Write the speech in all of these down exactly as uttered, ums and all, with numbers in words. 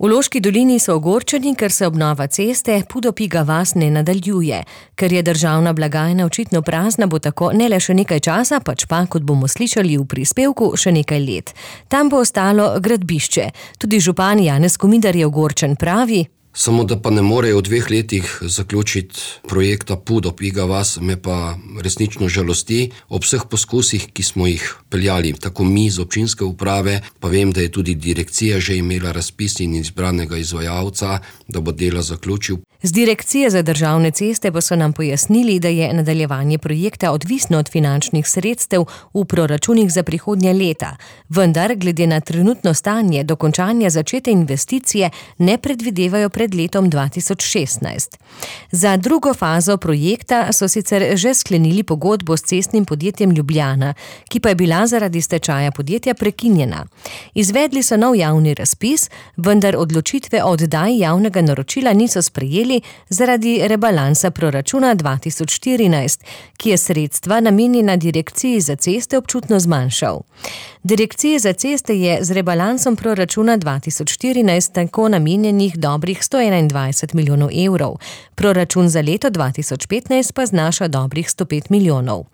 V Loški dolini so ogorčeni, ker se obnova ceste Pudopiga vas ne nadaljuje. Ker je državna blagajna očitno prazna, bo tako ne le še nekaj časa, pač pa, kot bomo slišali v prispevku, še nekaj let. Tam bo ostalo gradbišče. Tudi župan Janez Komidar je ogorčen, pravi: Samo da pa ne morejo v dveh letih zaključiti projekta Pudopiga vas, me pa resnično žalosti. Ob vseh poskusih, ki smo jih peljali, tako mi z občinske uprave, pa vem, da je tudi direkcija že imela razpis in izbranega izvajalca, da bo dela zaključil. Z Direkcije za državne ceste pa so nam pojasnili, da je nadaljevanje projekta odvisno od finančnih sredstev v proračunih za prihodnja leta. Vendar, glede na trenutno stanje, dokončanja začete investicije ne predvidevajo pred letom dva tisoč šestnajst. Za drugo fazo projekta so sicer že sklenili pogodbo s cestnim podjetjem Ljubljana, ki pa je bila zaradi stečaja podjetja prekinjena. Izvedli so nov javni razpis, vendar odločitve o oddaji javnega naročila niso sprejeli zaradi rebalansa proračuna dva tisoč štirinajst, ki je sredstva namenjena Direkciji za ceste občutno zmanjšal. Direkciji za ceste je z rebalansom proračuna dva tisoč štirinajst tako namenjenih dobrih sto enaindvajset milijonov evrov. Proračun za leto dva tisoč petnajst pa znaša dobrih sto pet milijonov.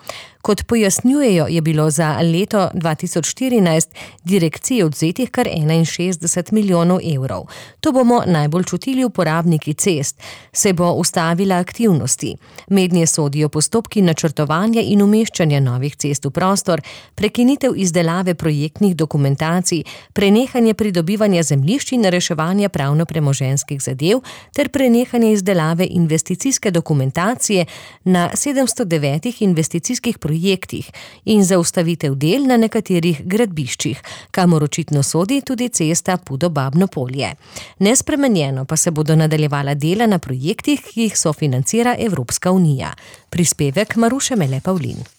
Kot pojasnjujejo, je bilo za leto dva tisoč štirinajst direkciji odzetih kar enainšestdeset milijonov evrov. To bomo najbolj čutili uporabniki cest, se bo ustavila aktivnosti. Mednje sodijo postopki načrtovanja in umeščanja novih cest v prostor, prekinitev izdelave projektnih dokumentacij, prenehanje pridobivanja zemljišč in reševanja pravno-premoženjskih zadev ter prenehanje izdelave investicijske dokumentacije na sedemsto devetih investicijskih projektih in zaustavitev del na nekaterih gradbiščih, kamor očitno sodi tudi cesta Pudo-Babno Polje. Nespremenjeno pa se bodo nadaljevala dela na projektih, ki jih sofinancira Evropska unija. Prispevek Maruše Mele Pavlin.